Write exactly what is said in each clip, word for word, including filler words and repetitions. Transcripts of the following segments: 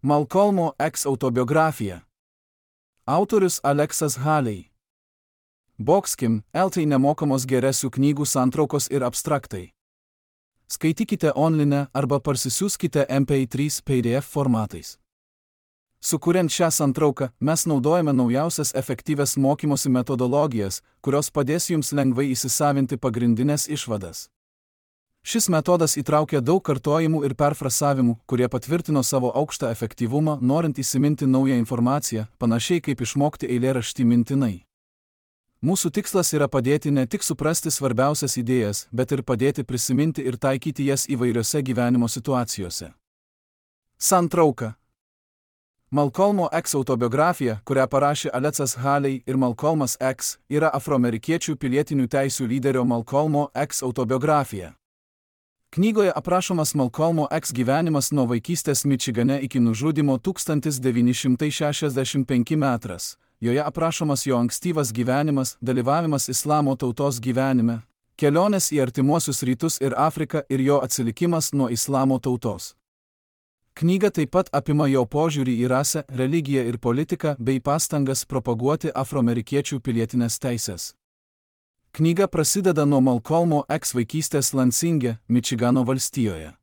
Malcolmo X autobiografija. Autorius Aleksas Haley. Boxkim, eltai nemokamos geresių knygų santraukos ir abstraktai. Skaitykite online arba parsisiųskite M P trys P D F formatais. Sukuriant šią santrauką, mes naudojame naujausias efektyvias mokymosi metodologijas, kurios padės jums lengvai įsisavinti pagrindinės išvadas. Šis metodas įtraukia daug kartojimų ir perfrasavimų, kurie patvirtino savo aukštą efektyvumą, norint įsiminti naują informaciją, panašiai kaip išmokti eilėraštį mintinai. Mūsų tikslas yra padėti ne tik suprasti svarbiausias idėjas, bet ir padėti prisiminti ir taikyti jas įvairiose gyvenimo situacijose. Santrauka. Malcolmo X autobiografija, kurią parašė Aleksas Haley ir Malcolmas X, yra afroamerikiečių pilietinių teisių lyderio Malcolmo X autobiografija. Knygoje aprašomas Malcolmo X gyvenimas nuo vaikystės Mičigane iki nužudymo tūkstantis devyni šimtai šešiasdešimt penktais metais. Joje aprašomas jo ankstyvas gyvenimas, dalyvavimas islamo tautos gyvenime, kelionės į artimuosius rytus ir Afriką ir jo atsilikimas nuo islamo tautos. Knyga taip pat apima jo požiūrį į rasę, religiją ir politiką bei pastangas propaguoti afroamerikiečių pilietinės teisės. Knyga prasideda nuo Malcolmo X vaikystės Lansinge, Mičigano valstijoje.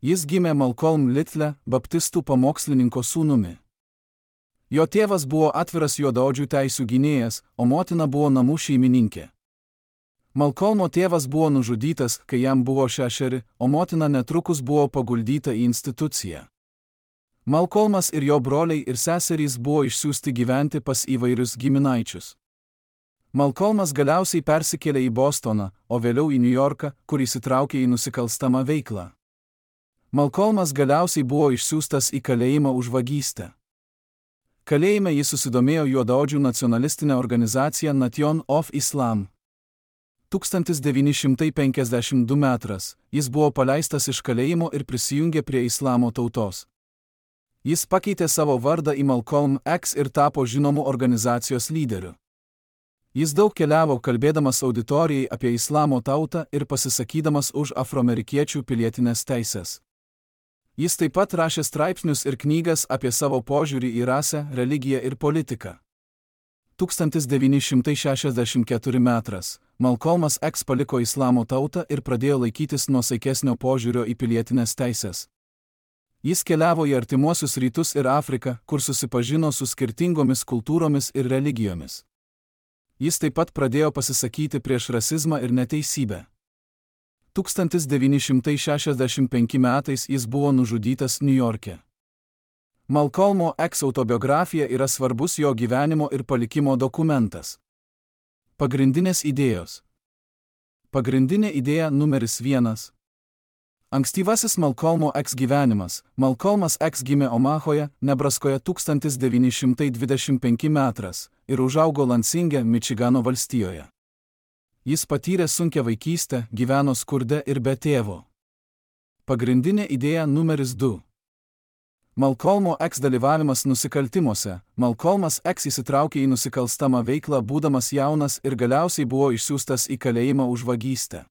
Jis gimė Malcolm Little, baptistų pamokslininko sūnumi. Jo tėvas buvo atviras juodaodžių teisių gynėjas, o motina buvo namų šeimininkė. Malcolmo tėvas buvo nužudytas, kai jam buvo šešeri, o motina netrukus buvo paguldyta į instituciją. Malcolmas ir jo broliai ir seserys buvo išsiųsti gyventi pas įvairius giminaičius. Malcolmas galiausiai persikėlė į Bostoną, o vėliau į Niujorką, kur įsitraukė į nusikalstamą veiklą. Malcolmas galiausiai buvo išsiųstas į kalėjimą už vagystę. Kalėjime jis susidomėjo juodaodžių nacionalistinę organizaciją Nation of Islam. tūkstantis devyni šimtai penkiasdešimt du metais jis buvo paleistas iš kalėjimo ir prisijungė prie islamo tautos. Jis pakeitė savo vardą į Malcolm X ir tapo žinomu organizacijos lyderiu. Jis daug keliavo kalbėdamas auditorijai apie islamo tautą ir pasisakydamas už afroamerikiečių pilietinės teisės. Jis taip pat rašė straipsnius ir knygas apie savo požiūrį į rasę, religiją ir politiką. tūkstantis devyni šimtai šešiasdešimt ketvirtais metais Malcolmas X paliko islamo tautą ir pradėjo laikytis nuosaikesnio požiūrio į pilietinės teisės. Jis keliavo į artimuosius rytus ir Afriką, kur susipažino su skirtingomis kultūromis ir religijomis. Jis taip pat pradėjo pasisakyti prieš rasizmą ir neteisybę. tūkstantis devyni šimtai šešiasdešimt penktais metais jis buvo nužudytas Niujorke. Malcolmo X autobiografija yra svarbus jo gyvenimo ir palikimo dokumentas. Pagrindinės idėjos. Pagrindinė idėja numeris vienas. Ankstyvasis Malcolmo X gyvenimas. Malcolmas X gimė Omahoje, Nebraskoje tūkstantis devyni šimtai dvidešimt penktais metais ir užaugo Lansinge, Mičigano valstijoje. Jis patyrė sunkią vaikystę, gyveno skurde ir be tėvo. Pagrindinė idėja numeris du. Malcolmo X dalyvavimas nusikaltimuose. Malcolmas X įsitraukė į nusikalstamą veiklą būdamas jaunas ir galiausiai buvo išsiųstas į kalėjimą už vagystę.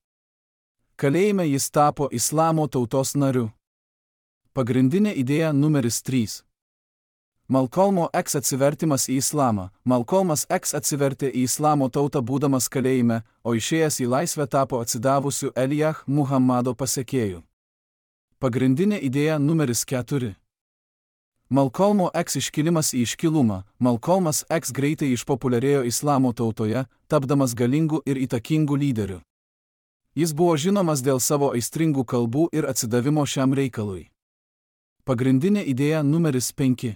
Kalėjime jis tapo islamo tautos nariu. Pagrindinė idėja numeris trys. Malcolmo X atsivertimas į islamą. Malcolmas X atsivertė į islamo tautą būdamas kalėjime, o išėjęs į laisvę tapo atsidavusiu Elijah Muhammado pasekėju. Pagrindinė idėja numeris keturi. Malcolmo X iškilimas į iškilumą. Malcolmas X greitai išpopuliarėjo islamo tautoje, tapdamas galingu ir įtakingu lyderiu. Jis buvo žinomas dėl savo aistringų kalbų ir atsidavimo šiam reikalui. Pagrindinė idėja numeris penki.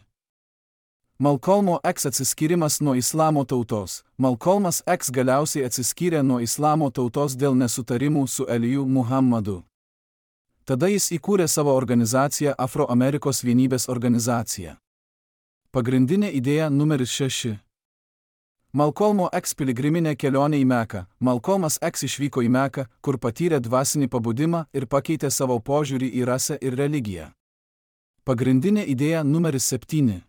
Malcolmo X atsiskyrimas nuo islamo tautos. Malcolmas X galiausiai atsiskyrė nuo islamo tautos dėl nesutarimų su Eliju Muhammadu. Tada jis įkūrė savo organizaciją Afroamerikos vienybės organizacija. Pagrindinė idėja numeris šeši. Malcolmo X piligriminė kelionė į Meką. Malcolmas X išvyko į Meką, kur patyrė dvasinį pabudimą ir pakeitė savo požiūrį į rasę ir religiją. Pagrindinė idėja numeris septyni.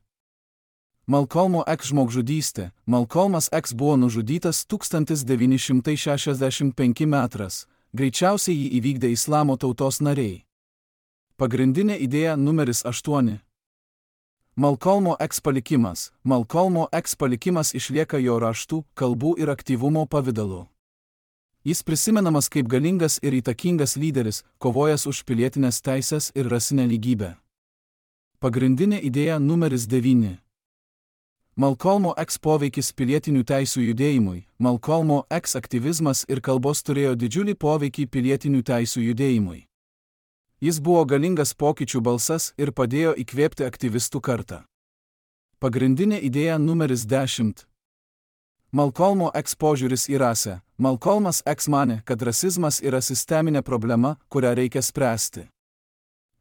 Malcolmo X žmogžudystė. Malcolmas X buvo nužudytas tūkstantis devyni šimtai šešiasdešimt penktais metais. Greičiausiai jį įvykdė islamo tautos nariai. Pagrindinė idėja numeris aštuoni. Malcolmo X palikimas. Malcolmo X palikimas išlieka jo raštų, kalbų ir aktyvumo pavidalu. Jis prisimenamas kaip galingas ir įtakingas lyderis, kovojęs už pilietinės teisės ir rasinę lygybę. Pagrindinė idėja numeris devyni. Malcolmo X poveikis pilietinių teisių judėjimui. Malcolmo X aktyvizmas ir kalbos turėjo didžiulį poveikį pilietinių teisių judėjimui. Jis buvo galingas pokyčių balsas ir padėjo įkvėpti aktyvistų kartą. Pagrindinė idėja numeris dešimt. Malcolmo X požiūris į rasę. Malcolmas X manė, kad rasizmas yra sisteminė problema, kurią reikia spręsti.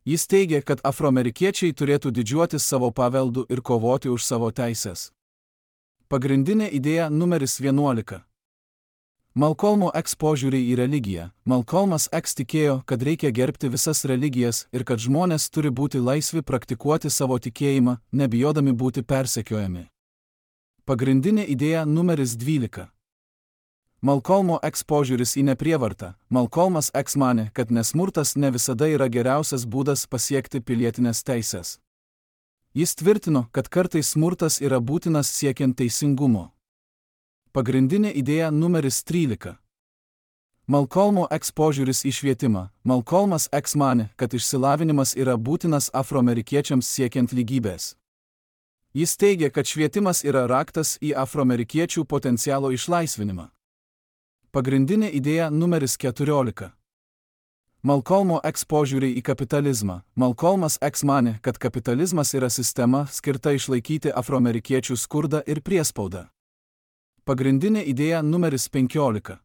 Jis teigė, kad afroamerikiečiai turėtų didžiuotis savo paveldu ir kovoti už savo teises. Pagrindinė idėja numeris vienuolika. Malcolmo X požiūrį į religiją. Malcolmas X tikėjo, kad reikia gerbti visas religijas ir kad žmonės turi būti laisvi praktikuoti savo tikėjimą, nebijodami būti persekiojami. Pagrindinė idėja numeris dvylika. Malcolmo X požiūris į neprievartą. Malcolmas X manė, kad nesmurtas ne visada yra geriausias būdas pasiekti pilietinės teisės. Jis tvirtino, kad kartais smurtas yra būtinas siekiant teisingumo. Pagrindinė idėja numeris trylika. Malcolmo X požiūris į švietimą. Malcolmas X manė, kad išsilavinimas yra būtinas afroamerikiečiams siekiant lygybės. Jis teigė, kad švietimas yra raktas į afroamerikiečių potencialo išlaisvinimą. Pagrindinė idėja numeris keturiolika. Malcolmo X požiūrį į kapitalizmą. Malcolmas X manė, kad kapitalizmas yra sistema skirta išlaikyti afroamerikiečių skurdą ir priespaudą. Pagrindinė idėja numeris penkiolika.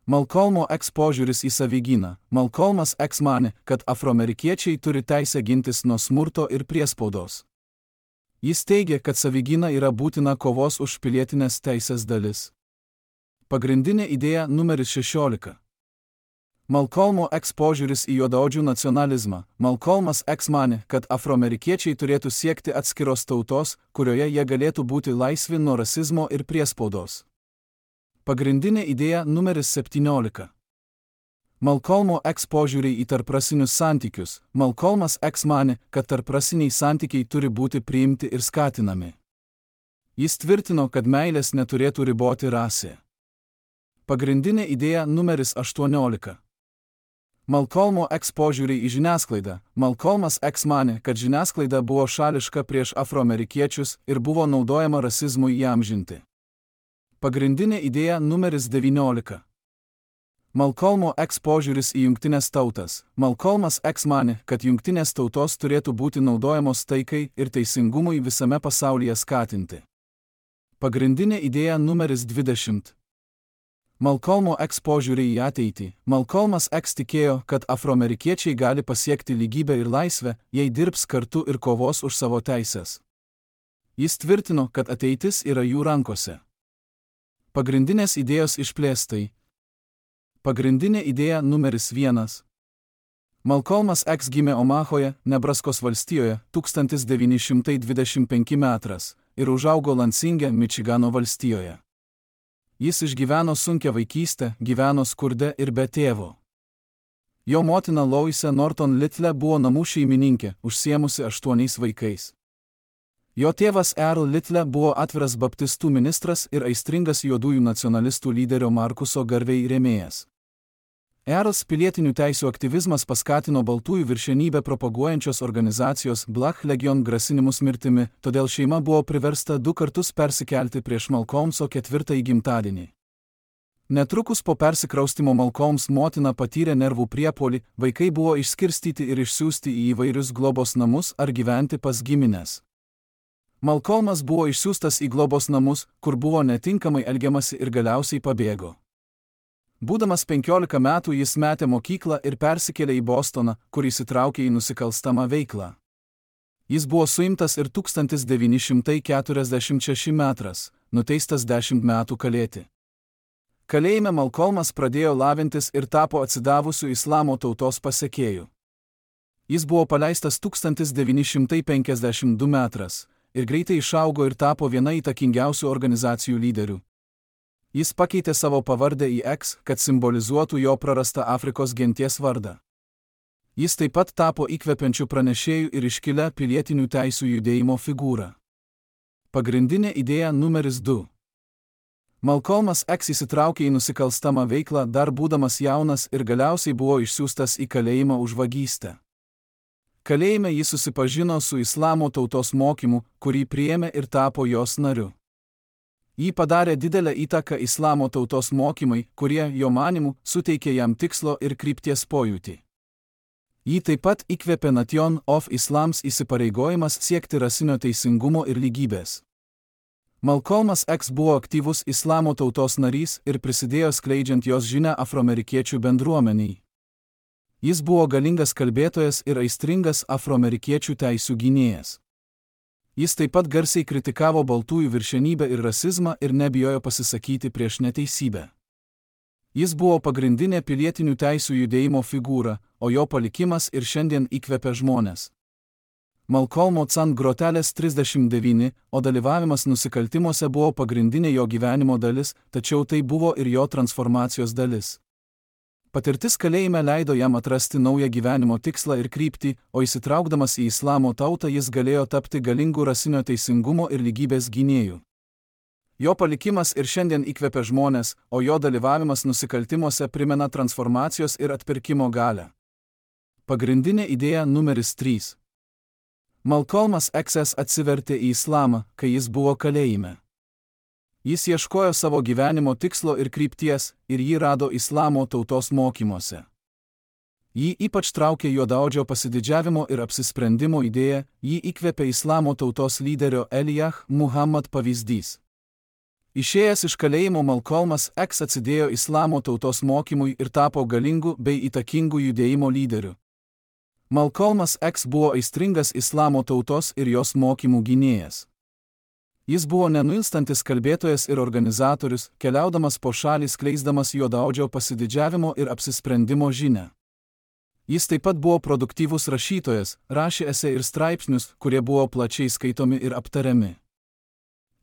Malcolmo X požiūris į savigyną. Malcolmas X manė, kad afroamerikiečiai turi teisę gintis nuo smurto ir priespaudos. Jis teigė, kad savigyna yra būtina kovos už pilietinės teisės dalis. Pagrindinė idėja numeris šešiolika. Malcolmo X požiūris į juodaodžių nacionalizmą. Malcolmas X manė, kad afroamerikiečiai turėtų siekti atskiros tautos, kurioje jie galėtų būti laisvi nuo rasizmo ir priespaudos. Pagrindinė idėja numeris septyniolika. Malcolmo X požiūrį į tarprasinius santykius. Malcolmas X manė, kad tarprasiniai santykiai turi būti priimti ir skatinami. Jis tvirtino, kad meilės neturėtų riboti rasė. Pagrindinė idėja numeris aštuoniolika. Malcolmo X požiūrį į žiniasklaidą. Malcolmas X manė, kad žiniasklaida buvo šališka prieš afroamerikiečius ir buvo naudojama rasizmui įamžinti. Pagrindinė idėja numeris devyniolika. Malcolmo X požiūris į jungtinės tautas. Malcolmas X manė, kad jungtinės tautos turėtų būti naudojamos taikai ir teisingumui visame pasaulyje skatinti. Pagrindinė idėja numeris dvidešimt. Malcolmo X požiūrį į ateitį. Malcolmas X tikėjo, kad afroamerikiečiai gali pasiekti lygybę ir laisvę, jei dirbs kartu ir kovos už savo teises. Jis tvirtino, kad ateitis yra jų rankose. Pagrindinės idėjos išplėstai. Pagrindinė idėja numeris vienas. Malcolmas X gimė Omahoje, Nebraskos valstijoje, tūkstantis devyni šimtai dvidešimt penki metras ir užaugo Lansinge, Mičigano valstijoje. Jis išgyveno sunkią vaikystę, gyveno skurde ir be tėvo. Jo motina Loisa Norton Little buvo namų šeimininkė, užsiemusi aštuoniais vaikais. Jo tėvas Earl Little buvo atviras baptistų ministras ir aistringas juodųjų nacionalistų lyderio Markuso Garvey rėmėjas. Earls pilietinių teisių aktyvizmas paskatino baltųjų viršenybę propaguojančios organizacijos Black Legion grasinimus mirtimi, todėl šeima buvo priversta du kartus persikelti prieš Malcolmso ketvirtąjį gimtadienį. Netrukus po persikraustimo Malcolms motina patyrė nervų priepuolį, vaikai buvo išskirstyti ir išsiųsti į įvairius globos namus ar gyventi pas gimines. Malcolmas buvo išsiųstas į globos namus, kur buvo netinkamai elgiamasi ir galiausiai pabėgo. Būdamas penkiolika metų jis metė mokyklą ir persikėlė į Bostoną, kur įsitraukė į nusikalstamą veiklą. Jis buvo suimtas ir tūkstantis devyni šimtai keturiasdešimt šeši metras, nuteistas dešimt metų kalėti. Kalėjime Malcolmas pradėjo lavintis ir tapo atsidavusiu islamo tautos pasekėju. Jis buvo paleistas tūkstantis devyni šimtai penkiasdešimt du metras ir greitai išaugo ir tapo viena įtakingiausių organizacijų lyderių. Jis pakeitė savo pavardę į X, kad simbolizuotų jo prarastą Afrikos genties vardą. Jis taip pat tapo įkvepiančiu pranešėju ir iškilia pilietinių teisių judėjimo figūra. Pagrindinė idėja numeris du. Malcolmas X įsitraukė į nusikalstamą veiklą dar būdamas jaunas ir galiausiai buvo išsiųstas į kalėjimą už vagystę. Kalėjime jis susipažino su islamo tautos mokymu, kurį priėmė ir tapo jos nariu. Jį padarė didelę įtaką islamo tautos mokymai, kurie, jo manymu, suteikė jam tikslo ir krypties pojūtį. Jį taip pat įkvėpė Nation of Islams įsipareigojimas siekti rasinio teisingumo ir lygybės. Malcolmas X buvo aktyvus islamo tautos narys ir prisidėjo skleidžiant jos žinią afroamerikiečių bendruomeniai. Jis buvo galingas kalbėtojas ir aistringas afroamerikiečių teisių gynėjas. Jis taip pat garsiai kritikavo baltųjų viršenybę ir rasizmą ir nebijojo pasisakyti prieš neteisybę. Jis buvo pagrindinė pilietinių teisių judėjimo figūra, o jo palikimas ir šiandien įkvepia žmones. Malcolmo X grotelės trisdešimt devyni, o dalyvavimas nusikaltimuose buvo pagrindinė jo gyvenimo dalis, tačiau tai buvo ir jo transformacijos dalis. Patirtis kalėjime leido jam atrasti naują gyvenimo tikslą ir kryptį, o įsitraukdamas į islamo tautą jis galėjo tapti galingu rasinio teisingumo ir lygybės gynėju. Jo palikimas ir šiandien įkvepia žmones, o jo dalyvavimas nusikaltimuose primena transformacijos ir atpirkimo galią. Pagrindinė idėja numeris trys. Malcolmas X atsivertė į islamą, kai jis buvo kalėjime. Jis ieškojo savo gyvenimo tikslo ir krypties, ir jį rado islamo tautos mokymuose. Jį ypač traukė juodaodžio pasididžiavimo ir apsisprendimo idėja, jį įkvėpė islamo tautos lyderio Elijah Muhammad pavyzdys. Išėjęs iš kalėjimo Malcolmas X atsidėjo islamo tautos mokymui ir tapo galingu bei įtakingu judėjimo lyderiu. Malcolmas X buvo aistringas islamo tautos ir jos mokymų gynėjas. Jis buvo nenuilstantis kalbėtojas ir organizatorius, keliaudamas po šalį skleisdamas juodaodžio pasididžiavimo ir apsisprendimo žinią. Jis taip pat buvo produktyvus rašytojas, rašė esė ir straipsnius, kurie buvo plačiai skaitomi ir aptariami.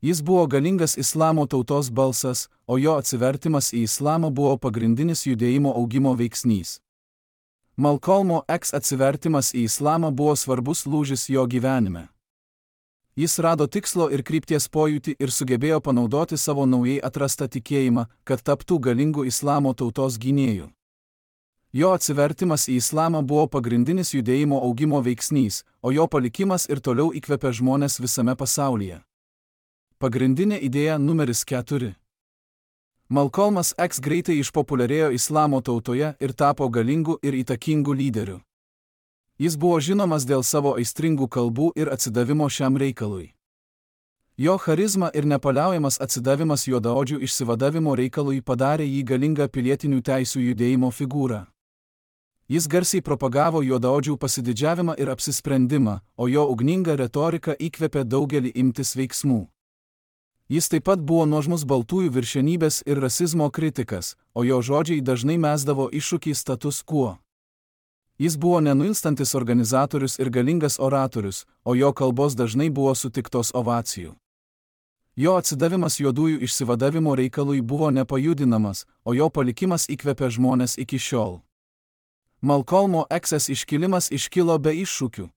Jis buvo galingas islamo tautos balsas, o jo atsivertimas į islamą buvo pagrindinis judėjimo augimo veiksnys. Malcolmo X atsivertimas į islamą buvo svarbus lūžis jo gyvenime. Jis rado tikslo ir krypties pojūtį ir sugebėjo panaudoti savo naujai atrastą tikėjimą, kad taptų galingu islamo tautos gynėju. Jo atsivertimas į islamą buvo pagrindinis judėjimo augimo veiksnys, o jo palikimas ir toliau įkvepia žmones visame pasaulyje. Pagrindinė idėja numeris keturi. Malcolmas X greitai išpopuliarėjo islamo tautoje ir tapo galingu ir įtakingu lyderiu. Jis buvo žinomas dėl savo aistringų kalbų ir atsidavimo šiam reikalui. Jo charizma ir nepaliaujamas atsidavimas juodaodžių išsivadavimo reikalui padarė jį galingą pilietinių teisių judėjimo figūrą. Jis garsiai propagavo juodaodžių pasididžiavimą ir apsisprendimą, o jo ugninga retorika įkvėpė daugelį imtis veiksmų. Jis taip pat buvo nuožmus baltųjų viršenybės ir rasizmo kritikas, o jo žodžiai dažnai mesdavo iššūkį status quo. Jis buvo nenuilstantis organizatorius ir galingas oratorius, o jo kalbos dažnai buvo sutiktos ovacijų. Jo atsidavimas juodųjų išsivadavimo reikalui buvo nepajudinamas, o jo palikimas įkvepia žmones iki šiol. Malcolmo X iškilimas iškilo be iššūkių.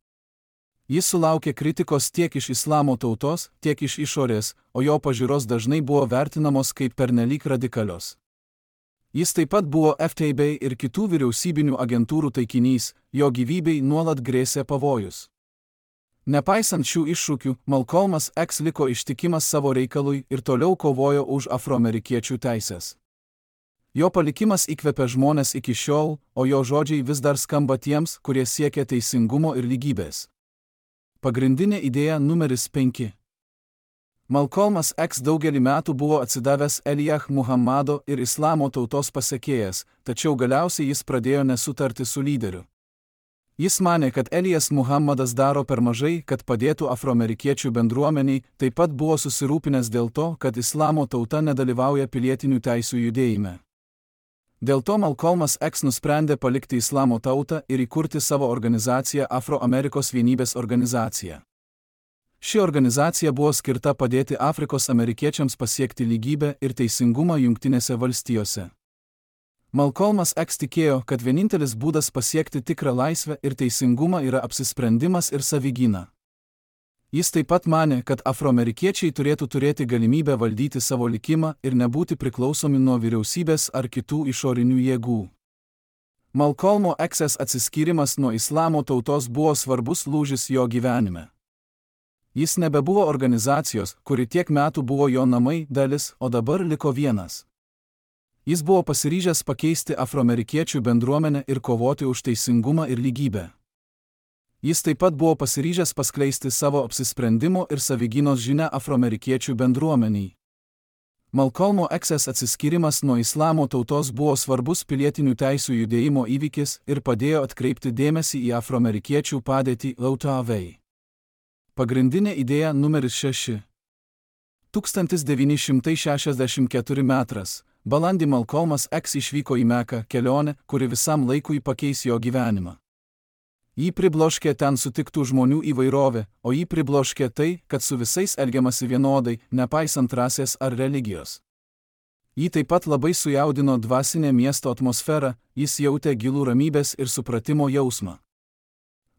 Jis sulaukė kritikos tiek iš islamo tautos, tiek iš išorės, o jo pažiūros dažnai buvo vertinamos kaip pernelyg radikalios. Jis taip pat buvo F B I ir kitų vyriausybinių agentūrų taikinys, jo gyvybei nuolat grėsė pavojus. Nepaisant šių iššūkių, Malcolmas X liko ištikimas savo reikalui ir toliau kovojo už afroamerikiečių teises. Jo palikimas įkvepia žmones iki šiol, o jo žodžiai vis dar skamba tiems, kurie siekia teisingumo ir lygybės. Pagrindinė idėja numeris penki. Malcolmas X daugelį metų buvo atsidavęs Elijah Muhammado ir islamo tautos pasekėjas, tačiau galiausiai jis pradėjo nesutarti su lyderiu. Jis manė, kad Elijas Muhammadas daro per mažai, kad padėtų afroamerikiečių bendruomeniai, taip pat buvo susirūpinęs dėl to, kad islamo tauta nedalyvauja pilietinių teisių judėjime. Dėl to Malcolmas X nusprendė palikti islamo tautą ir įkurti savo organizaciją Afroamerikos vienybės organizacija. Ši organizacija buvo skirta padėti Afrikos amerikiečiams pasiekti lygybę ir teisingumą Jungtinėse valstijose. Malcolmas X tikėjo, kad vienintelis būdas pasiekti tikrą laisvę ir teisingumą yra apsisprendimas ir savigyna. Jis taip pat manė, kad afroamerikiečiai turėtų turėti galimybę valdyti savo likimą ir nebūti priklausomi nuo vyriausybės ar kitų išorinių jėgų. Malcolmo X atsiskyrimas nuo islamo tautos buvo svarbus lūžis jo gyvenime. Jis nebebuvo organizacijos, kuri tiek metų buvo jo namai, dalis, o dabar liko vienas. Jis buvo pasiryžęs pakeisti afroamerikiečių bendruomenę ir kovoti už teisingumą ir lygybę. Jis taip pat buvo pasiryžęs paskleisti savo apsisprendimo ir savigynos žinią afroamerikiečių bendruomeniai. Malcolmo X atsiskyrimas nuo islamo tautos buvo svarbus pilietinių teisių judėjimo įvykis ir padėjo atkreipti dėmesį į afroamerikiečių padėtį L T V. Pagrindinė idėja numeris šeši. tūkstantis devyni šimtai šešiasdešimt keturi metras. Balandį Malcolmas X išvyko į Meką kelionę, kuri visam laikui pakeis jo gyvenimą. Jį pribloškė ten sutiktų žmonių įvairovė, o jį pribloškė tai, kad su visais elgiamasi vienodai, nepaisant rasės ar religijos. Jį taip pat labai sujaudino dvasinė miesto atmosfera, jis jautė gilų ramybės ir supratimo jausmą.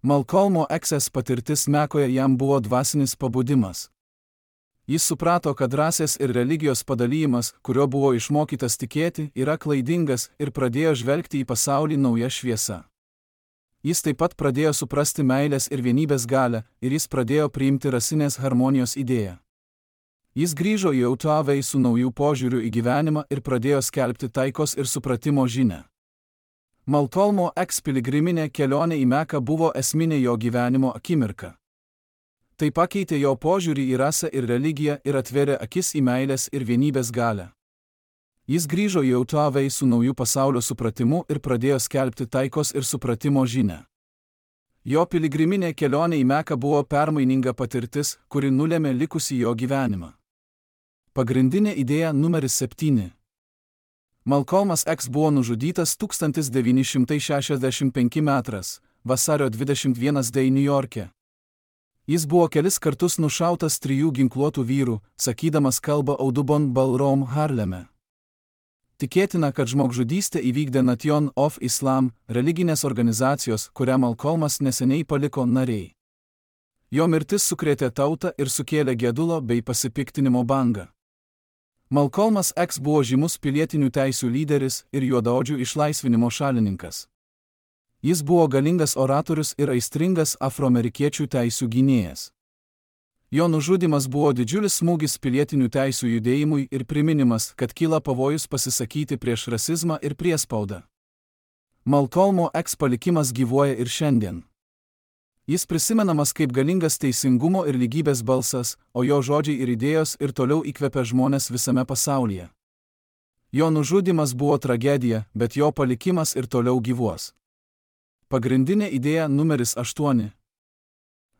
Malcolmo X patirtis Mekoje jam buvo dvasinis pabudimas. Jis suprato, kad rasės ir religijos padalymas, kurio buvo išmokytas tikėti, yra klaidingas ir pradėjo žvelgti į pasaulį nauja šviesa. Jis taip pat pradėjo suprasti meilės ir vienybės galią ir jis pradėjo priimti rasinės harmonijos idėją. Jis grįžo į L T V su naujų požiūrių į gyvenimą ir pradėjo skelbti taikos ir supratimo žinią. Malcolmo X piligriminė kelionė į Meką buvo esminė jo gyvenimo akimirka. Tai pakeitė jo požiūrį į rasę ir religiją ir atvėrė akis į meilės ir vienybės galią. Jis grįžo į L T V su naujų pasaulio supratimu ir pradėjo skelbti taikos ir supratimo žinią. Jo piligriminė kelionė į Meką buvo permaininga patirtis, kuri nulėmė likusį jo gyvenimą. Pagrindinė idėja numeris septyni. Malcolmas X buvo nužudytas tūkstantis devyni šimtai šešiasdešimt penkti metras, vasario dvidešimt pirmos dieną Niujorke. Jis buvo kelis kartus nušautas trijų ginkluotų vyrų, sakydamas kalbą Audubon Ballroom Harleme. Tikėtina, kad žmogžudystę įvykdė Nation of Islam, religinės organizacijos, kurią Malcolmas neseniai paliko nariai. Jo mirtis sukrėtė tautą ir sukėlė gedulo bei pasipiktinimo bangą. Malcolmas X buvo žymus pilietinių teisių lyderis ir juodaodžių išlaisvinimo šalininkas. Jis buvo galingas oratorius ir aistringas afroamerikiečių teisių gynėjas. Jo nužudymas buvo didžiulis smūgis pilietinių teisių judėjimui ir priminimas, kad kyla pavojus pasisakyti prieš rasizmą ir priespaudą. Malcolmo X palikimas gyvuoja ir šiandien. Jis prisimenamas kaip galingas teisingumo ir lygybės balsas, o jo žodžiai ir idėjos ir toliau įkvepia žmonės visame pasaulyje. Jo nužudymas buvo tragedija, bet jo palikimas ir toliau gyvuos. Pagrindinė idėja numeris aštuoni.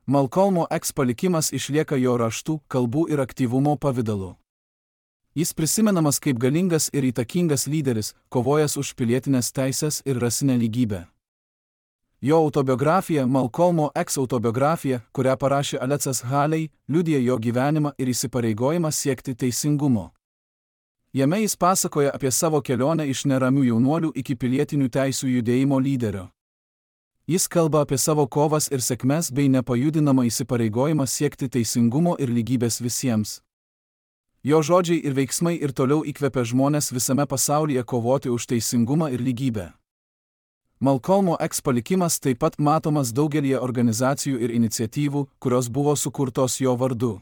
Malcolmo X palikimas išlieka jo raštų, kalbų ir aktyvumo pavidalu. Jis prisimenamas kaip galingas ir įtakingas lyderis, kovojęs už pilietinės teisės ir rasinę lygybę. Jo autobiografija, Malcolmo X autobiografija, kurią parašė Alexas Haley, liudija jo gyvenimą ir įsipareigojimą siekti teisingumo. Jame jis pasakoja apie savo kelionę iš neramių jaunuolių iki pilietinių teisių judėjimo lyderio. Jis kalba apie savo kovas ir sėkmes bei nepajudinamą įsipareigojimą siekti teisingumo ir lygybės visiems. Jo žodžiai ir veiksmai ir toliau įkvepia žmonės visame pasaulyje kovoti už teisingumą ir lygybę. Malcolmo X palikimas taip pat matomas daugelį organizacijų ir iniciatyvų, kurios buvo sukurtos jo vardu.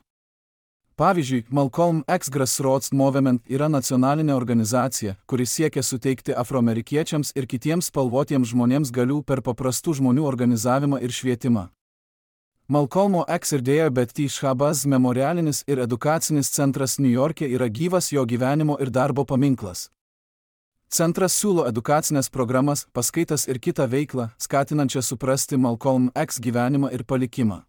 Pavyzdžiui, Malcolm X Grassroots Movement yra nacionalinė organizacija, kuri siekia suteikti afroamerikiečiams ir kitiems spalvotiems žmonėms galių per paprastų žmonių organizavimą ir švietimą. Malcolmo X ir Dėjo Betty Shabazz memorialinis ir edukacinis centras Niujorke yra gyvas jo gyvenimo ir darbo paminklas. Centras siūlo edukacinės programas, paskaitas ir kitą veiklą, skatinančią suprasti Malcolm X gyvenimą ir palikimą.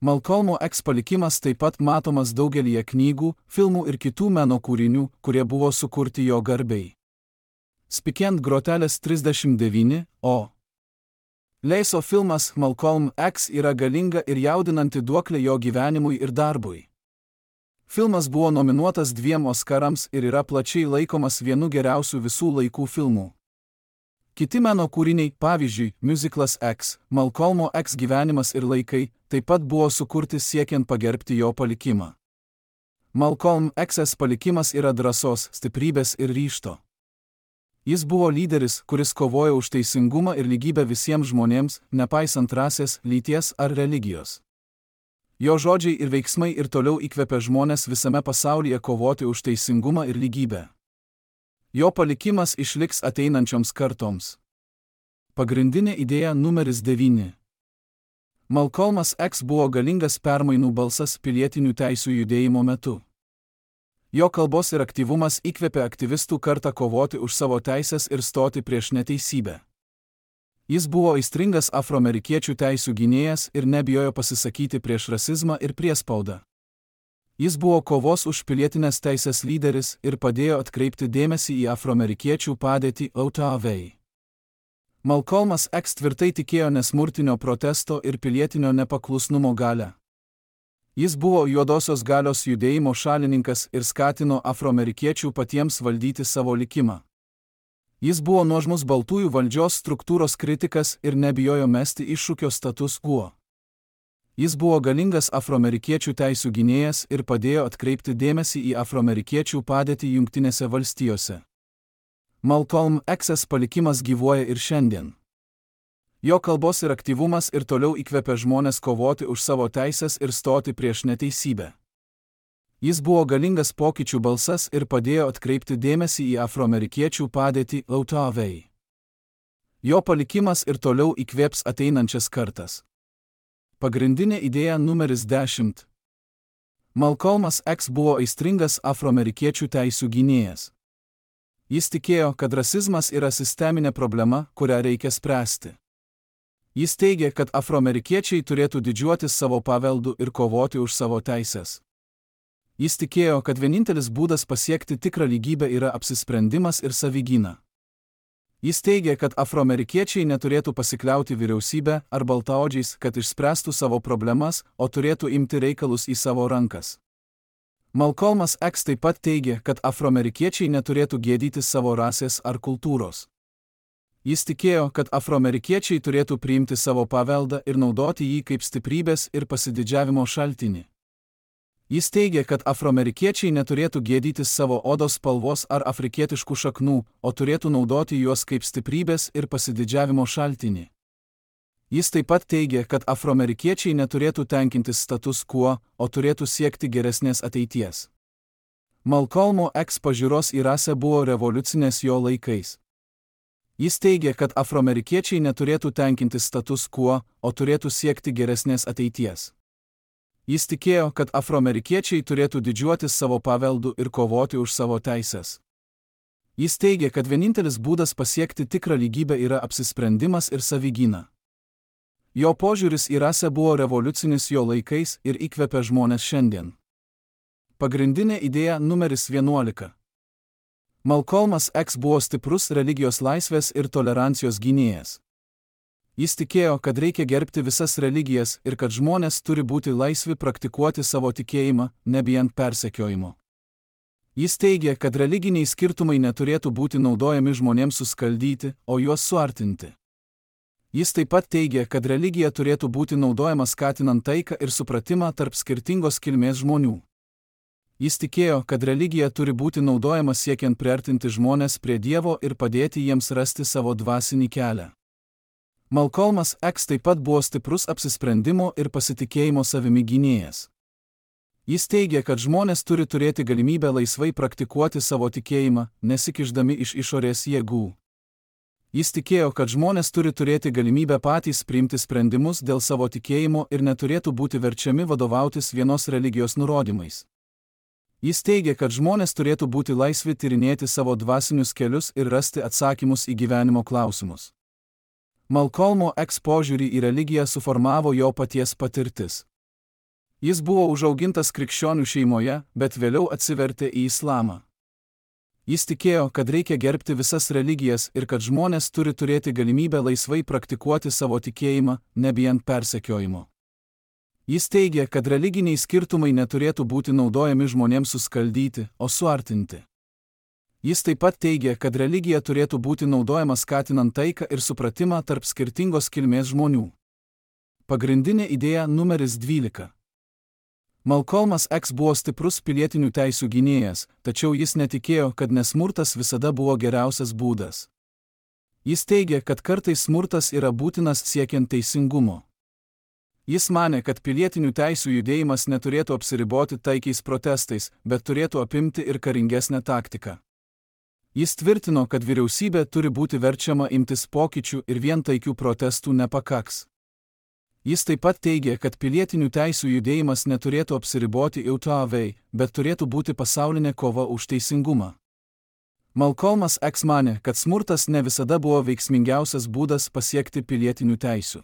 Malcolmo X palikimas taip pat matomas daugelyje knygų, filmų ir kitų meno kūrinių, kurie buvo sukurti jo garbei. Spikiant grotelės trisdešimt devyni, o. Leiso filmas Malcolm X yra galinga ir jaudinanti duoklė jo gyvenimui ir darbui. Filmas buvo nominuotas dviem Oskarams ir yra plačiai laikomas vienu geriausių visų laikų filmų. Kiti meno kūriniai, pavyzdžiui, Musiclas X, Malcolmo X gyvenimas ir laikai, taip pat buvo sukurti siekiant pagerbti jo palikimą. Malcolm X'as palikimas yra drąsos, stiprybės ir ryžto. Jis buvo lyderis, kuris kovojo už teisingumą ir lygybę visiems žmonėms, nepaisant rasės, lyties ar religijos. Jo žodžiai ir veiksmai ir toliau įkvepia žmonės visame pasaulyje kovoti už teisingumą ir lygybę. Jo palikimas išliks ateinančioms kartoms. Pagrindinė idėja numeris devyni. Malcolmas X buvo galingas permainų balsas pilietinių teisių judėjimo metu. Jo kalbos ir aktyvumas įkvėpė aktyvistų kartą kovoti už savo teisės ir stoti prieš neteisybę. Jis buvo aistringas afroamerikiečių teisių gynėjas ir nebijojo pasisakyti prieš rasizmą ir priespaudą. Jis buvo kovos už pilietinės teisės lyderis ir padėjo atkreipti dėmesį į afroamerikiečių padėtį Ottawai. Malcolmas X tvirtai tikėjo nesmurtinio protesto ir pilietinio nepaklusnumo galią. Jis buvo juodosios galios judėjimo šalininkas ir skatino afroamerikiečių patiems valdyti savo likimą. Jis buvo nuožmus baltųjų valdžios struktūros kritikas ir nebijojo mesti iššūkio status quo. Jis buvo galingas afroamerikiečių teisių gynėjas ir padėjo atkreipti dėmesį į afroamerikiečių padėtį Jungtinėse valstijose. Malcolm X'as palikimas gyvuoja ir šiandien. Jo kalbos ir aktyvumas ir toliau įkvepia žmonės kovoti už savo teisės ir stoti prieš neteisybę. Jis buvo galingas pokyčių balsas ir padėjo atkreipti dėmesį į afroamerikiečių padėtį Ottawai. Jo palikimas ir toliau įkvėps ateinančias kartas. Pagrindinė idėja numeris dešimt. Malcolmas X buvo aistringas afroamerikiečių teisių gynėjas. Jis tikėjo, kad rasizmas yra sisteminė problema, kurią reikia spręsti. Jis teigė, kad afroamerikiečiai turėtų didžiuotis savo paveldu ir kovoti už savo teisės. Jis tikėjo, kad vienintelis būdas pasiekti tikrą lygybę yra apsisprendimas ir savigyna. Jis teigė, kad afroamerikiečiai neturėtų pasikliauti vyriausybę ar baltaodžiais, kad išspręstų savo problemas, o turėtų imti reikalus į savo rankas. Malcolmas X taip pat teigė, kad afroamerikiečiai neturėtų gėdyti savo rasės ar kultūros. Jis tikėjo, kad afroamerikiečiai turėtų priimti savo paveldą ir naudoti jį kaip stiprybės ir pasididžiavimo šaltinį. Jis teigė, kad afroamerikiečiai neturėtų gėdytis savo odos spalvos ar afrikietiškų šaknų, o turėtų naudoti juos kaip stiprybės ir pasididžiavimo šaltinį. Jis taip pat teigė, kad afroamerikiečiai neturėtų tenkintis status quo, o turėtų siekti geresnės ateities. Malcolmo X pažiūros į rasę buvo revoliucinės jo laikais. Jis teigė, kad afroamerikiečiai neturėtų tenkintis status quo, o turėtų siekti geresnės ateities. Jis tikėjo, kad afroamerikiečiai turėtų didžiuotis savo paveldu ir kovoti už savo teisės. Jis teigė, kad vienintelis būdas pasiekti tikrą lygybę yra apsisprendimas ir savigyna. Jo požiūris į rasę buvo revoliucinis jo laikais ir įkvepia žmonės šiandien. Pagrindinė idėja numeris vienuolika. Malcolmas X buvo stiprus religijos laisvės ir tolerancijos gynėjas. Jis tikėjo, kad reikia gerbti visas religijas ir kad žmonės turi būti laisvi praktikuoti savo tikėjimą, nebijant persekiojimo. Jis teigė, kad religiniai skirtumai neturėtų būti naudojami žmonėms suskaldyti, o juos suartinti. Jis taip pat teigė, kad religija turėtų būti naudojama skatinant taiką ir supratimą tarp skirtingos kilmės žmonių. Jis tikėjo, kad religija turi būti naudojama siekiant priartinti žmonės prie Dievo ir padėti jiems rasti savo dvasinį kelią. Malcolmas X taip pat buvo stiprus apsisprendimo ir pasitikėjimo savimi gynėjas. Jis teigė, kad žmonės turi turėti galimybę laisvai praktikuoti savo tikėjimą, nesikišdami iš išorės jėgų. Jis tikėjo, kad žmonės turi turėti galimybę patys priimti sprendimus dėl savo tikėjimo ir neturėtų būti verčiami vadovautis vienos religijos nurodymais. Jis teigė, kad žmonės turėtų būti laisvi tyrinėti savo dvasinius kelius ir rasti atsakymus į gyvenimo klausimus. Malcolmo X požiūrį į religiją suformavo jo paties patirtis. Jis buvo užaugintas krikščionių šeimoje, bet vėliau atsivertė į islamą. Jis tikėjo, kad reikia gerbti visas religijas ir kad žmonės turi turėti galimybę laisvai praktikuoti savo tikėjimą, nebijant persekiojimo. Jis teigia, kad religiniai skirtumai neturėtų būti naudojami žmonėms suskaldyti, o suartinti. Jis taip pat teigia, kad religija turėtų būti naudojama skatinant taiką ir supratimą tarp skirtingos kilmės žmonių. Pagrindinė idėja numeris dvylika. Malcolmas X buvo stiprus pilietinių teisių gynėjas, tačiau jis netikėjo, kad nesmurtas visada buvo geriausias būdas. Jis teigia, kad kartais smurtas yra būtinas siekiant teisingumo. Jis manė, kad pilietinių teisių judėjimas neturėtų apsiriboti taikiais protestais, bet turėtų apimti ir karingesnę taktiką. Jis tvirtino, kad vyriausybė turi būti verčiama imtis pokyčių ir vien taikių protestų nepakaks. Jis taip pat teigė, kad pilietinių teisių judėjimas neturėtų apsiriboti eutovei, bet turėtų būti pasaulinė kova už teisingumą. Malcolmas X manė, kad smurtas ne visada buvo veiksmingiausias būdas pasiekti pilietinių teisių.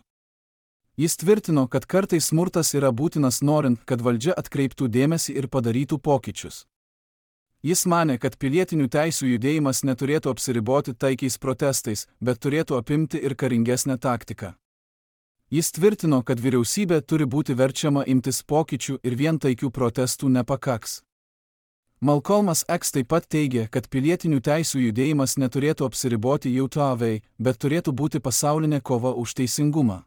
Jis tvirtino, kad kartais smurtas yra būtinas norint, kad valdžia atkreiptų dėmesį ir padarytų pokyčius. Jis manė, kad pilietinių teisių judėjimas neturėtų apsiriboti taikiais protestais, bet turėtų apimti ir karingesnę taktiką. Jis tvirtino, kad vyriausybė turi būti verčiama imtis pokyčių ir vien taikių protestų nepakaks. Malcolmas X taip pat teigė, kad pilietinių teisių judėjimas neturėtų apsiriboti eutovei, bet turėtų būti pasaulinė kova už teisingumą.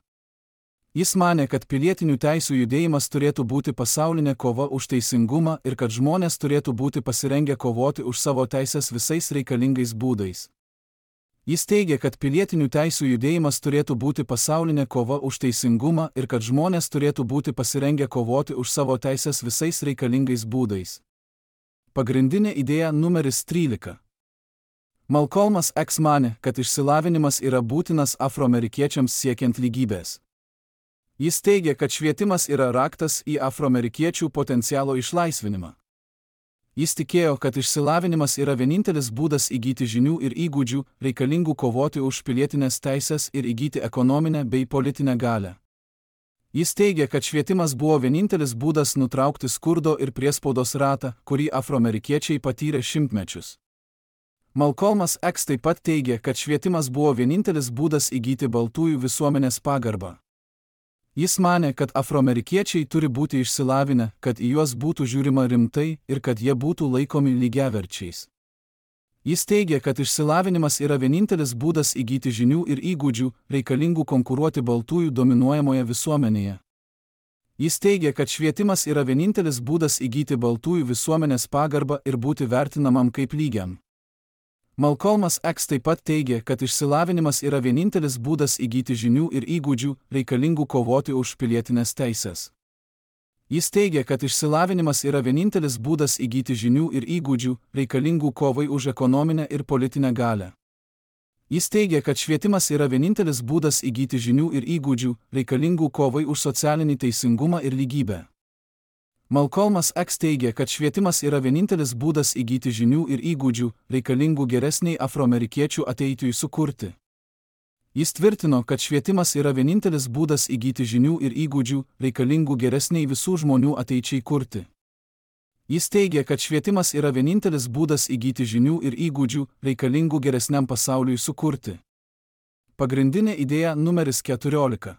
Jis manė, kad pilietinių teisių judėjimas turėtų būti pasaulinė kova už teisingumą ir kad žmonės turėtų būti pasirengę kovoti už savo teisės visais reikalingais būdais. Jis teigė, kad pilietinių teisių judėjimas turėtų būti pasaulinė kova už teisingumą ir kad žmonės turėtų būti pasirengę kovoti už savo teisės visais reikalingais būdais. Pagrindinė idėja numeris trylika. Malcolmas X manė, kad išsilavinimas yra būtinas afroamerikiečiams siekiant lygybės. Jis teigia, kad švietimas yra raktas į afroamerikiečių potencialo išlaisvinimą. Jis tikėjo, kad išsilavinimas yra vienintelis būdas įgyti žinių ir įgūdžių, reikalingų kovoti už pilietinės teisės ir įgyti ekonominę bei politinę galią. Jis teigia, kad švietimas buvo vienintelis būdas nutraukti skurdo ir priespaudos ratą, kurį afroamerikiečiai patyrė šimtmečius. Malcolmas X taip pat teigia, kad švietimas buvo vienintelis būdas įgyti baltųjų visuomenės pagarbą. Jis manė, kad afroamerikiečiai turi būti išsilavinę, kad į juos būtų žiūrima rimtai ir kad jie būtų laikomi lygiaverčiais. Jis teigia, kad išsilavinimas yra vienintelis būdas įgyti žinių ir įgūdžių, reikalingų konkuruoti baltųjų dominuojamoje visuomenėje. Jis teigia, kad švietimas yra vienintelis būdas įgyti baltųjų visuomenės pagarbą ir būti vertinamam kaip lygiam. Malcolmas X taip pat teigia, kad išsilavinimas yra vienintelis būdas įgyti žinių ir įgūdžių, reikalingų kovoti už pilietinės teisės. Jis teigia, kad išsilavinimas yra vienintelis būdas įgyti žinių ir įgūdžių, reikalingų kovai už ekonominę ir politinę galią. Jis teigia, kad švietimas yra vienintelis būdas įgyti žinių ir įgūdžių, reikalingų kovai už socialinį teisingumą ir lygybę. Malcolmas X teigia, kad švietimas yra vienintelis būdas įgyti žinių ir įgūdžių, reikalingų geresniai afroamerikiečių ateitui sukurti. Jis tvirtino, kad švietimas yra vienintelis būdas įgyti žinių ir įgūdžių, reikalingų geresniai visų žmonių ateičiai kurti. Jis teigia, kad švietimas yra vienintelis būdas įgyti žinių ir įgūdžių, reikalingų geresniam pasauliui sukurti. Pagrindinė idėja numeris keturiolika.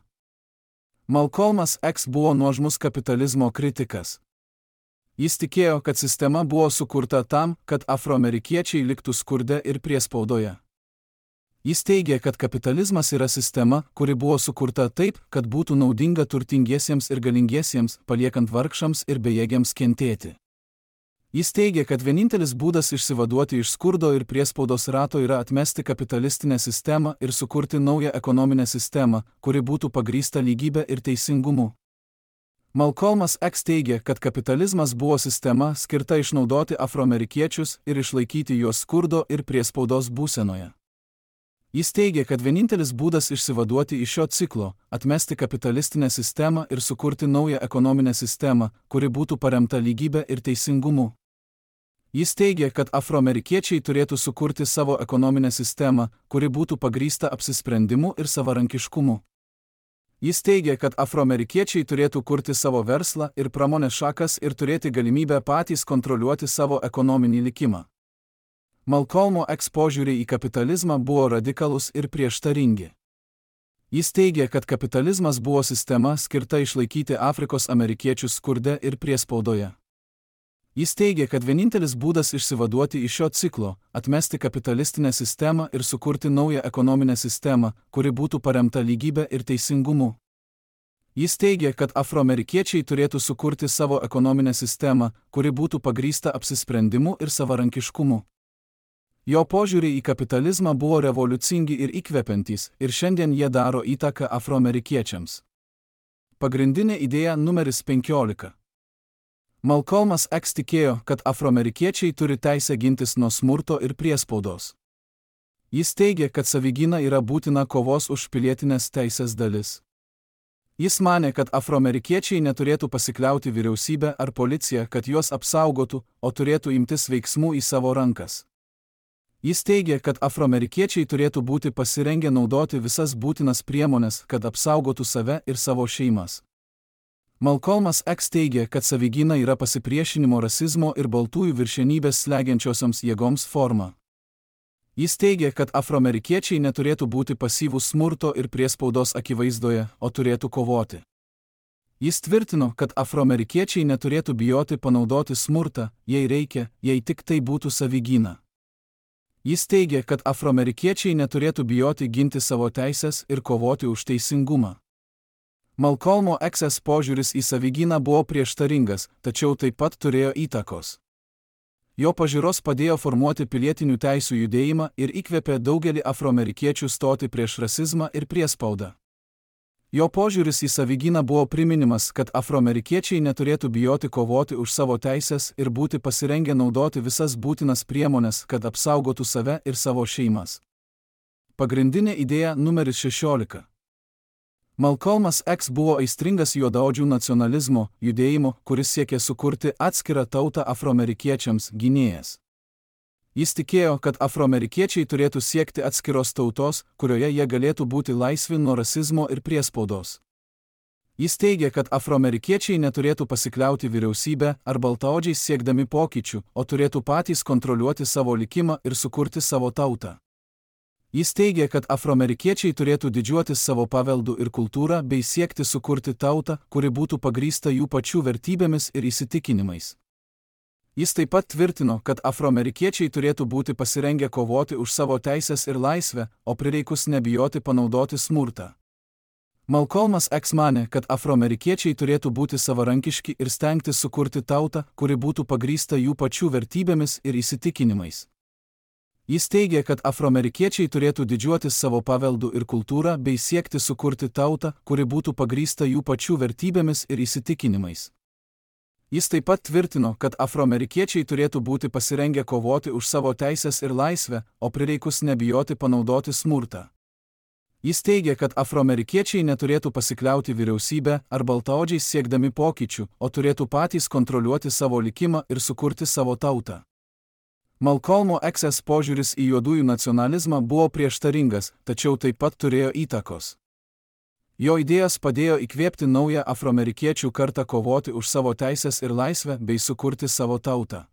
Malcolmas X buvo nuožmus kapitalizmo kritikas. Jis tikėjo, kad sistema buvo sukurta tam, kad afroamerikiečiai liktų skurde ir priespaudoje. Jis teigė, kad kapitalizmas yra sistema, kuri buvo sukurta taip, kad būtų naudinga turtingiesiems ir galingiesiems, paliekant vargšams ir bejėgiams kentėti. Jis teigė, kad vienintelis būdas išsivaduoti iš skurdo ir priespaudos rato yra atmesti kapitalistinę sistemą ir sukurti naują ekonominę sistemą, kuri būtų pagrįsta lygybė ir teisingumu. Malcolmas X teigė, kad kapitalizmas buvo sistema skirta išnaudoti afroamerikiečius ir išlaikyti juos skurdo ir priespaudos būsenoje. Jis teigė, kad vienintelis būdas išsivaduoti iš šio ciklo – atmesti kapitalistinę sistemą ir sukurti naują ekonominę sistemą, kuri būtų paremta lygybė ir teisingumu. Jis teigė, kad afroamerikiečiai turėtų sukurti savo ekonominę sistemą, kuri būtų pagrįsta apsisprendimu ir savarankiškumu. Jis teigė, kad afroamerikiečiai turėtų kurti savo verslą ir pramonės šakas ir turėti galimybę patys kontroliuoti savo ekonominį likimą. Malcolmo X požiūriai į kapitalizmą buvo radikalūs ir prieštaringi. Jis teigė, kad kapitalizmas buvo sistema skirta išlaikyti Afrikos amerikiečius skurde ir priespaudoje. Jis teigė, kad vienintelis būdas išsivaduoti iš šio ciklo – atmesti kapitalistinę sistemą ir sukurti naują ekonominę sistemą, kuri būtų paremta lygybė ir teisingumu. Jis teigė, kad afroamerikiečiai turėtų sukurti savo ekonominę sistemą, kuri būtų pagrįsta apsisprendimu ir savarankiškumu. Jo požiūriai į kapitalizmą buvo revoliucingi ir įkvepiantys, ir šiandien jie daro įtaką afroamerikiečiams. Pagrindinė idėja numeris penkiolika. Malcolmas X tikėjo, kad afroamerikiečiai turi teisę gintis nuo smurto ir priespaudos. Jis teigė, kad savigyna yra būtina kovos už pilietinės teisės dalis. Jis manė, kad afroamerikiečiai neturėtų pasikliauti vyriausybę ar policiją, kad juos apsaugotų, o turėtų imtis veiksmų į savo rankas. Jis teigė, kad afroamerikiečiai turėtų būti pasirengę naudoti visas būtinas priemones, kad apsaugotų save ir savo šeimas. Malcolmas X teigė, kad savigyna yra pasipriešinimo rasizmo ir baltųjų viršenybės slegiančiosioms jėgoms forma. Jis teigė, kad afroamerikiečiai neturėtų būti pasyvūs smurto ir priespaudos akivaizdoje, o turėtų kovoti. Jis tvirtino, kad afroamerikiečiai neturėtų bijoti panaudoti smurtą, jei reikia, jei tik tai būtų savigyna. Jis teigė, kad afroamerikiečiai neturėtų bijoti ginti savo teisės ir kovoti už teisingumą. Malcolmo X požiūris į savigyną buvo prieštaringas, tačiau taip pat turėjo įtakos. Jo pažiūros padėjo formuoti pilietinių teisių judėjimą ir įkvėpė daugelį afroamerikiečių stoti prieš rasizmą ir priespaudą. Jo požiūris į savigyną buvo priminimas, kad afroamerikiečiai neturėtų bijoti kovoti už savo teisės ir būti pasirengę naudoti visas būtinas priemones, kad apsaugotų save ir savo šeimas. Pagrindinė idėja numeris šešiolika. Malcolmas X buvo aistringas juodaodžių nacionalizmo judėjimo, kuris siekė sukurti atskirą tautą afroamerikiečiams gynėjas. Jis tikėjo, kad afroamerikiečiai turėtų siekti atskiros tautos, kurioje jie galėtų būti laisvi nuo rasizmo ir priespaudos. Jis teigė, kad afroamerikiečiai neturėtų pasikliauti vyriausybę ar baltaodžiais siekdami pokyčių, o turėtų patys kontroliuoti savo likimą ir sukurti savo tautą. Jis teigė, kad afroamerikiečiai turėtų didžiuotis savo paveldu ir kultūrą bei siekti sukurti tautą, kuri būtų pagrįsta jų pačių vertybėmis ir įsitikinimais. Jis taip pat tvirtino, kad afroamerikiečiai turėtų būti pasirengę kovoti už savo teisės ir laisvę, o prireikus nebijoti panaudoti smurtą. Malcolmas X manė, kad afroamerikiečiai turėtų būti savarankiški ir stengtis sukurti tautą, kuri būtų pagrįsta jų pačių vertybėmis ir įsitikinimais. Jis teigė, kad afroamerikiečiai turėtų didžiuotis savo paveldu ir kultūrą bei siekti sukurti tautą, kuri būtų pagrįsta jų pačių vertybėmis ir įsitikinimais. Jis taip pat tvirtino, kad afroamerikiečiai turėtų būti pasirengę kovoti už savo teisės ir laisvę, o prireikus nebijoti panaudoti smurtą. Jis teigė, kad afroamerikiečiai neturėtų pasikliauti vyriausybę ar baltaodžiais siekdami pokyčių, o turėtų patys kontroliuoti savo likimą ir sukurti savo tautą. Malcolmo X požiūris į juodųjų nacionalizmą buvo prieštaringas, tačiau taip pat turėjo įtakos. Jo idėjos padėjo įkvėpti naują afroamerikiečių kartą kovoti už savo teisės ir laisvę bei sukurti savo tautą.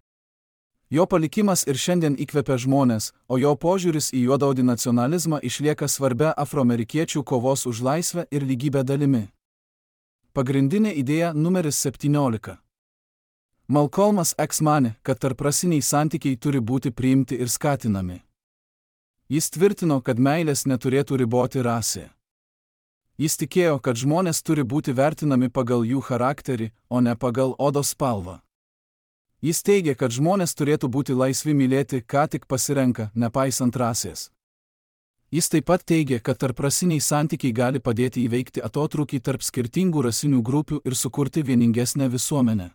Jo palikimas ir šiandien įkvepia žmonės, o jo požiūris į juodaodį nacionalizmą išlieka svarbia afroamerikiečių kovos už laisvę ir lygybę dalimi. Pagrindinė idėja numeris septyniolika. Malcolmas X manė, kad tarprasiniai santykiai turi būti priimti ir skatinami. Jis tvirtino, kad meilės neturėtų riboti rasė. Jis tikėjo, kad žmonės turi būti vertinami pagal jų charakterį, o ne pagal odos spalvą. Jis teigė, kad žmonės turėtų būti laisvi mylėti, ką tik pasirenka, nepaisant rasės. Jis taip pat teigė, kad tarprasiniai santykiai gali padėti įveikti atotrūkį tarp skirtingų rasinių grupių ir sukurti vieningesnę visuomenę.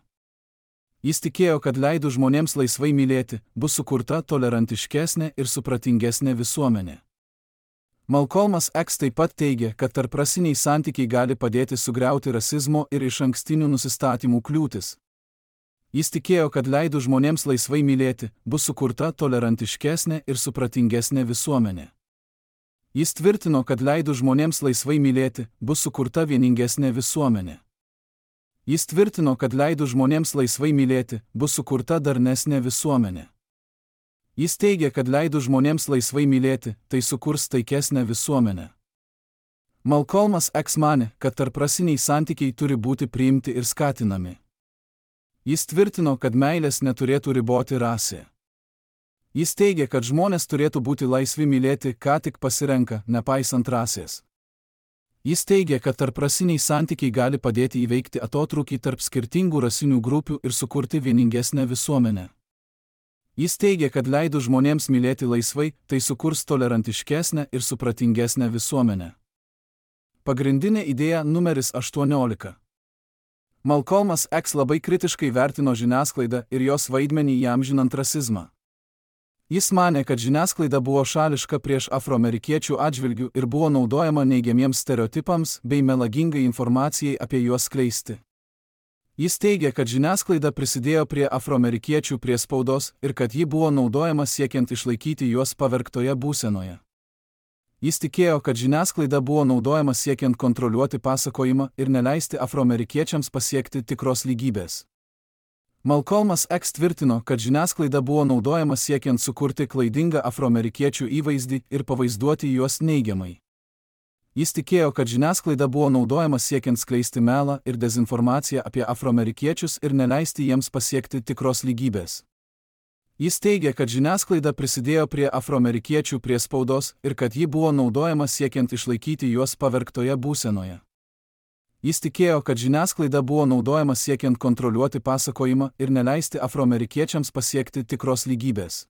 Jis tikėjo, kad leidus žmonėms laisvai mylėti, bus sukurta tolerantiškesnė ir supratingesnė visuomenė. Malcolmas X taip pat teigė, kad tarprasiniai santykiai gali padėti sugriauti rasizmo ir išankstinių nusistatymų kliūtis. Jis tikėjo, kad leidus žmonėms laisvai mylėti, bus sukurta tolerantiškesnė ir supratingesnė visuomenė. Jis tvirtino, kad leidus žmonėms laisvai mylėti, bus sukurta vieningesnė visuomenė. Jis tvirtino, kad leidus žmonėms laisvai mylėti, bus sukurta darnesnė visuomenė. Jis teigė, kad leidus žmonėms laisvai mylėti, tai sukurs taikesnę visuomenę. Malcolmas X manė, kad tarprasiniai santykiai turi būti priimti ir skatinami. Jis tvirtino, kad meilės neturėtų riboti rasė. Jis teigė, kad žmonės turėtų būti laisvi mylėti, ką tik pasirenka, nepaisant rasės. Jis teigė, kad tarprasiniai santykiai gali padėti įveikti atotrūkį tarp skirtingų rasinių grupių ir sukurti vieningesnę visuomenę. Jis teigė, kad leidus žmonėms mylėti laisvai, tai sukurs tolerantiškesnę ir supratingesnę visuomenę. Pagrindinė idėja numeris aštuoniolika. Malcolmas X labai kritiškai vertino žiniasklaidą ir jos vaidmenį įamžinant rasizmą. Jis manė, kad žiniasklaida buvo šališka prieš afroamerikiečių atžvilgių ir buvo naudojama neigiamiems stereotipams bei melagingai informacijai apie juos skleisti. Jis teigė, kad žiniasklaida prisidėjo prie afroamerikiečių priespaudos ir kad ji buvo naudojama siekiant išlaikyti juos pavergtoje būsenoje. Jis tikėjo, kad žiniasklaida buvo naudojama siekiant kontroliuoti pasakojimą ir neleisti afroamerikiečiams pasiekti tikros lygybės. Malcolmas X tvirtino, kad žiniasklaida buvo naudojama siekiant sukurti klaidingą afroamerikiečių įvaizdį ir pavaizduoti juos neigiamai. Jis tikėjo, kad žiniasklaida buvo naudojama siekiant skleisti melą ir dezinformaciją apie afroamerikiečius ir neleisti jiems pasiekti tikros lygybės. Jis teigė, kad žiniasklaida prisidėjo prie afroamerikiečių priespaudos ir kad ji buvo naudojama siekiant išlaikyti juos pavergtoje būsenoje. Jis tikėjo, kad žiniasklaida buvo naudojama siekiant kontroliuoti pasakojimą ir neleisti afroamerikiečiams pasiekti tikros lygybės.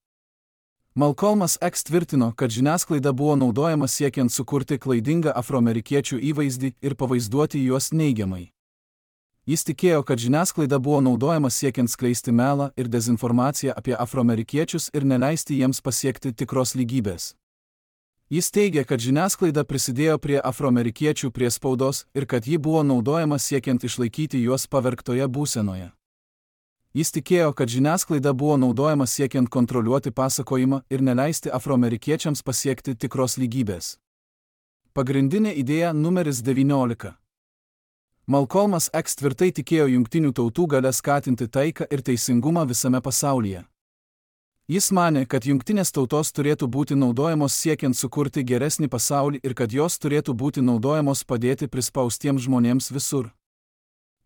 Malcolmas X tvirtino, kad žiniasklaida buvo naudojama siekiant sukurti klaidingą afroamerikiečių įvaizdį ir pavaizduoti juos neigiamai. Jis tikėjo, kad žiniasklaida buvo naudojama siekiant skleisti melą ir dezinformaciją apie afroamerikiečius ir neleisti jiems pasiekti tikros lygybės. Jis teigė, kad žiniasklaida prisidėjo prie afroamerikiečių priespaudos ir kad ji buvo naudojama siekiant išlaikyti juos pavergtoje būsenoje. Jis tikėjo, kad žiniasklaida buvo naudojama siekiant kontroliuoti pasakojimą ir neleisti afroamerikiečiams pasiekti tikros lygybės. Pagrindinė idėja numeris devyniolika. Malcolmas X tvirtai tikėjo jungtinių tautų galia skatinti taiką ir teisingumą visame pasaulyje. Jis manė, kad jungtinės tautos turėtų būti naudojamos siekiant sukurti geresnį pasaulį ir kad jos turėtų būti naudojamos padėti prispaustiems žmonėms visur.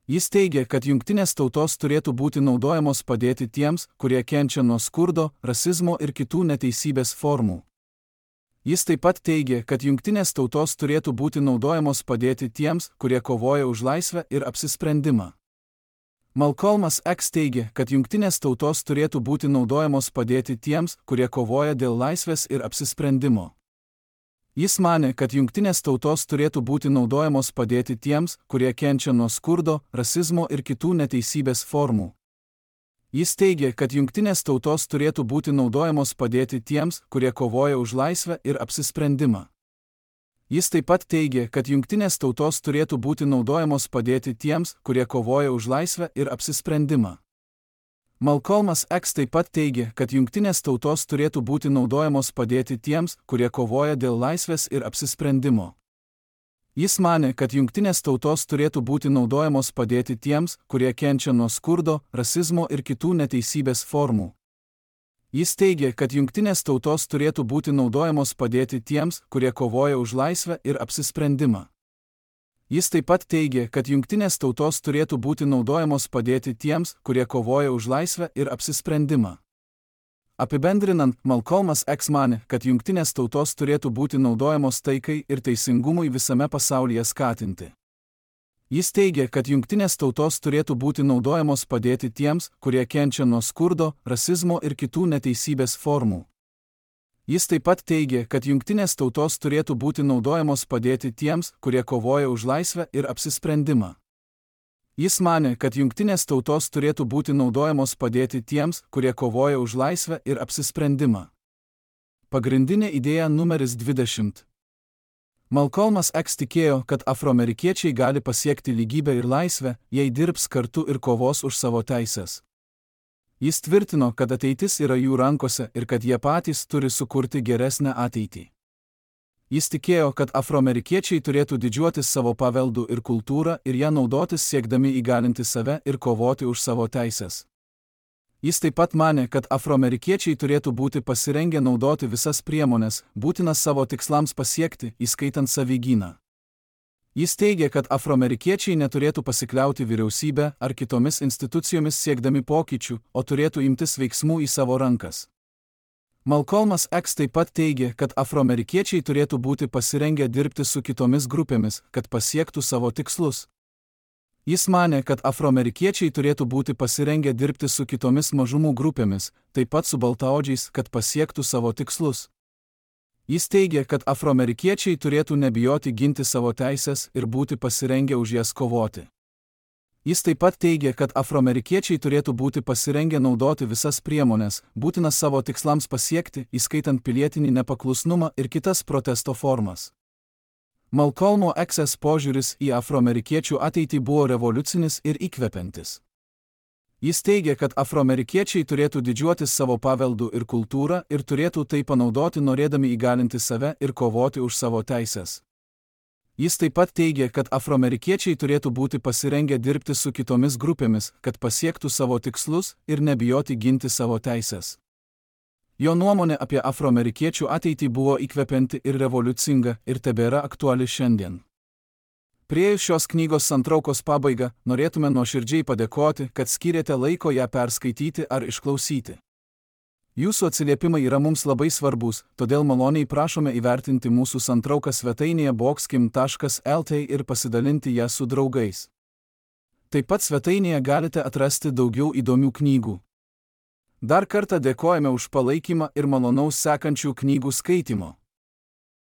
Jis teigė, kad jungtinės tautos turėtų būti naudojamos padėti tiems, kurie kenčia nuo skurdo, rasizmo ir kitų neteisybės formų. Jis taip pat teigė, kad jungtinės tautos turėtų būti naudojamos padėti tiems, kurie kovoja už laisvę ir apsisprendimą. Malcolmas X teigė, kad jungtinės tautos turėtų būti naudojamos padėti tiems, kurie kovoja dėl laisvės ir apsisprendimo. Jis manė, kad jungtinės tautos turėtų būti naudojamos padėti tiems, kurie kenčia nuo skurdo, rasizmo ir kitų neteisybės formų. Jis teigė, kad jungtinės tautos turėtų būti naudojamos padėti tiems, kurie kovoja už laisvę ir apsisprendimą. Jis taip pat teigė, kad jungtinės tautos turėtų būti naudojamos padėti tiems, kurie kovoja už laisvę ir apsisprendimą. Malcolmas X taip pat teigė, kad jungtinės tautos turėtų būti naudojamos padėti tiems, kurie kovoja dėl laisvės ir apsisprendimo. Jis manė, kad jungtinės tautos turėtų būti naudojamos padėti tiems, kurie kenčia nuo skurdo, rasizmo ir kitų neteisybės formų. Jis teigė, kad jungtinės tautos turėtų būti naudojamos padėti tiems, kurie kovoja už laisvę ir apsisprendimą. Jis taip pat teigė, kad jungtinės tautos turėtų būti naudojamos padėti tiems, kurie kovoja už laisvę ir apsisprendimą. Apibendrinant, Malcolmas X manė, kad jungtinės tautos turėtų būti naudojamos taikai ir teisingumui visame pasaulyje skatinti. Jis teigė, kad jungtinės tautos turėtų būti naudojamos padėti tiems, kurie kenčia nuo skurdo, rasizmo ir kitų neteisybės formų. Jis taip pat teigė, kad jungtinės tautos turėtų būti naudojamos padėti tiems, kurie kovoja už laisvę ir apsisprendimą. Jis manė, kad jungtinės tautos turėtų būti naudojamos padėti tiems, kurie kovoja už laisvę ir apsisprendimą. Pagrindinė idėja numeris dvidešimt. Malcolmas X tikėjo, kad afroamerikiečiai gali pasiekti lygybę ir laisvę, jei dirbs kartu ir kovos už savo teises. Jis tvirtino, kad ateitis yra jų rankose ir kad jie patys turi sukurti geresnę ateitį. Jis tikėjo, kad afroamerikiečiai turėtų didžiuotis savo paveldu ir kultūrą ir ją naudotis siekdami įgalinti save ir kovoti už savo teises. Jis taip pat manė, kad afroamerikiečiai turėtų būti pasirengę naudoti visas priemones, būtinas savo tikslams pasiekti, įskaitant savigyną. Jis teigia, kad afroamerikiečiai neturėtų pasikliauti vyriausybę ar kitomis institucijomis siekdami pokyčių, o turėtų imtis veiksmų į savo rankas. Malcolmas X taip pat teigia, kad afroamerikiečiai turėtų būti pasirengę dirbti su kitomis grupėmis, kad pasiektų savo tikslus. Jis manė, kad afroamerikiečiai turėtų būti pasirengę dirbti su kitomis mažumų grupėmis, taip pat su baltaodžiais, kad pasiektų savo tikslus. Jis teigia, kad afroamerikiečiai turėtų nebijoti ginti savo teisės ir būti pasirengę už jas kovoti. Jis taip pat teigia, kad afroamerikiečiai turėtų būti pasirengę naudoti visas priemonės, būtinas savo tikslams pasiekti, įskaitant pilietinį nepaklusnumą ir kitas protesto formas. Malcolmo X požiūris į afroamerikiečių ateitį buvo revoliucinis ir įkvepiantis. Jis teigia, kad afroamerikiečiai turėtų didžiuotis savo paveldu ir kultūrą ir turėtų tai panaudoti norėdami įgalinti save ir kovoti už savo teisės. Jis taip pat teigia, kad afroamerikiečiai turėtų būti pasirengę dirbti su kitomis grupėmis, kad pasiektų savo tikslus ir nebijoti ginti savo teisės. Jo nuomonė apie afroamerikiečių ateitį buvo įkvepianti ir revoliucinga ir tebėra aktuali šiandien. Priėjus šios knygos santraukos pabaigą, norėtume nuoširdžiai padėkoti, kad skyrėte laiko ją perskaityti ar išklausyti. Jūsų atsiliepimai yra mums labai svarbus, todėl maloniai prašome įvertinti mūsų santrauką svetainėje boxkim taškas lt ir pasidalinti ją su draugais. Taip pat svetainėje galite atrasti daugiau įdomių knygų. Dar kartą dėkojame už palaikymą ir malonaus sekančių knygų skaitimo.